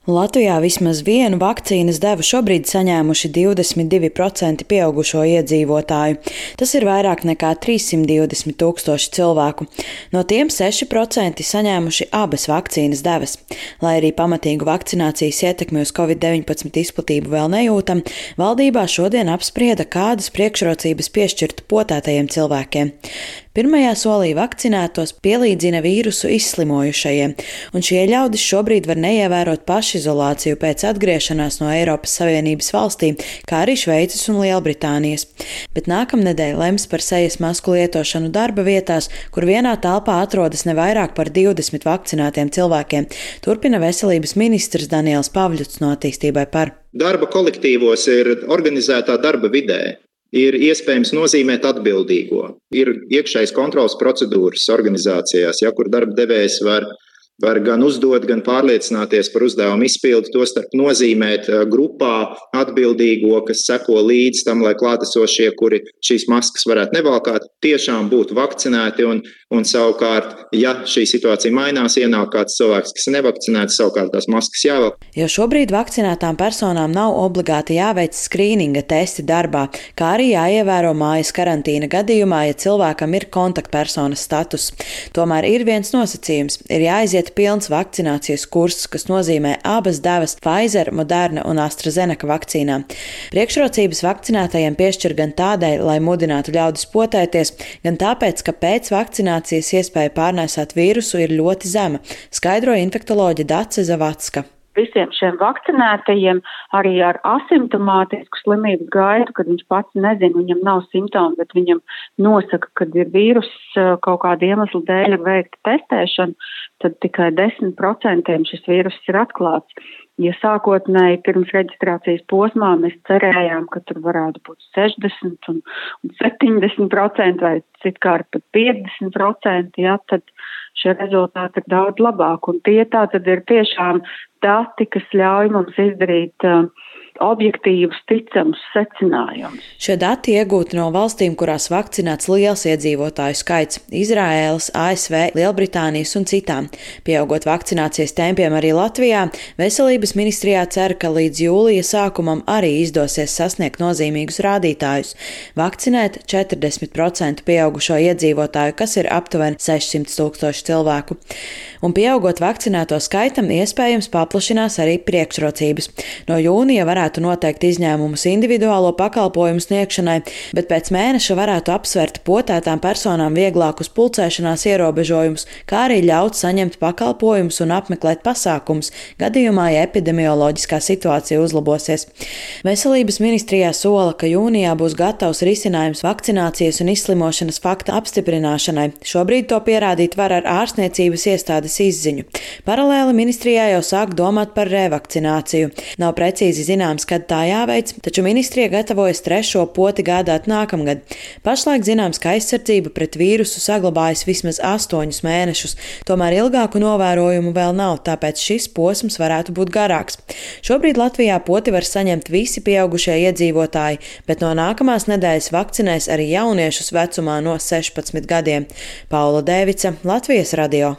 Latvijā vismaz vienu vakcīnas devu šobrīd saņēmuši 22% pieaugušo iedzīvotāju. Tas ir vairāk nekā 320 tūkstoši cilvēku. No tiem 6% saņēmuši abas vakcīnas devas. Lai arī pamatīgu vakcinācijas ietekmi uz Covid-19 izplatību vēl nejūtam, valdībā šodien apsprieda, kādas priekšrocības piešķirt potētajiem cilvēkiem. Pirmajā solī vakcinētos pielīdzina vīrusu izslimojušajiem, un šie ļaudis šobrīd var neievērot pašizolāciju pēc atgriešanās no Eiropas Savienības valstīm, kā arī Šveices un Lielbritānijas. Bet nākamnedēļ lems par sejas masku lietošanu darba vietās, kur vienā telpā atrodas ne vairāk par 20 vakcinētiem cilvēkiem, turpina veselības ministrs Daniels Pavļuts no Attīstībai par. Darba kolektīvos ir organizētā darba vidē. Ir iespējams nozīmēt atbildīgo. Ir iekšējas kontrolas procedūras organizācijās, kur darba devējs var gan uzdot, gan pārliecināties par uzdevumu izpildi, tostarp nozīmēt grupā atbildīgo, kas seko līdz tam, lai klātesošie, kuri šīs maskas varētu nevalkāt, tiešām būtu vakcinēti un savukārt, ja šī situācija mainās, ienāk kāds cilvēks, kas nevakcinēts, savukārt tās maskas jāvelk. Jo šobrīd vakcinētām personām nav obligāti jāveic skrīninga testi darbā, kā arī jāievēro mājas karantīna gadījumā, ja cilvēkam ir kontaktpersonas status. Tomēr ir viens nosacījums – ir jāaiziet pilns vakcinācijas kurss, kas nozīmē abas devas Pfizer, Moderna un AstraZeneca vakcīnām. Priekšrocības vakcinētajiem piešķir gan tādēļ, lai mudinātu ļaudis potēties, gan tāpēc, ka pēc vakcinācijas iespēja pārnēsāt vīrusu ir ļoti zema, skaidroja infektoloģe Dace Zavacka. Visiem šiem vakcinētajiem arī ar asimptomātisku slimības gaidu, kad viņš pats nezina, viņam nav simptomi, bet viņam nosaka, kad ir vīrus kaut kāda iemesla dēļ ir veikta testēšana, tad tikai 10% šis vīrus ir atklāts. Ja sākotnēji pirms reģistrācijas posmā mēs cerējām, ka tur varētu būt 60 un 70% vai citkārt pat 50%, tad šie rezultāti ir daudz labāk. Un tie tā tad ir tiešām dati, kas ļauj mums izdarīt objektīvus, ticamus secinājumus. Šie dati iegūti no valstīm, kurās vakcinēts liels iedzīvotāju skaits – Izraēlas, ASV, Lielbritānijas un citām. Pieaugot vakcinācijas tempiem arī Latvijā, veselības ministrijā cer, ka līdz jūlija sākumam arī izdosies sasniegt nozīmīgus rādītājus. Vakcinēt 40% pieaugušo iedzīvotāju, kas ir aptuveni 600 tūkstoši cilvēku. Un pieaugot vakcinēto skaitam, iespējams paplašinās arī priekšrocības. No jūnija varētu noteikt izņēmumus individuālo pakalpojumu sniegšanai, bet pēc mēneša varētu apsvērt potētām personām vieglākus pulcēšanās ierobežojumus, kā arī ļaut saņemt pakalpojumus un apmeklēt pasākumus, gadījumā, ja epidemioloģiskā situācija uzlabosies. Veselības ministrijā sola, ka jūnijā būs gatavs risinājums vakcinācijas un izslimošanas fakta apstiprināšanai. Šobrīd to pierādīt var ar ārstniecības iestādes izziņu. Paralēli ministrijā jau sāk domāt par revakcināciju. Nav precīzi zināms, kad tā jāveic, taču ministrija gatavojas 3. poti gādāt nākamgad. Pašlaik zināms, ka aizsardzība pret vīrusu saglabājas vismaz 8 mēnešus, tomēr ilgāku novērojumu vēl nav, tāpēc šis posms varētu būt garāks. Šobrīd Latvijā poti var saņemt visi pieaugušie iedzīvotāji, bet no nākamās nedēļas vakcinēs arī jauniešus vecumā no 16 gadiem. Paula Dēvica, Latvijas radio.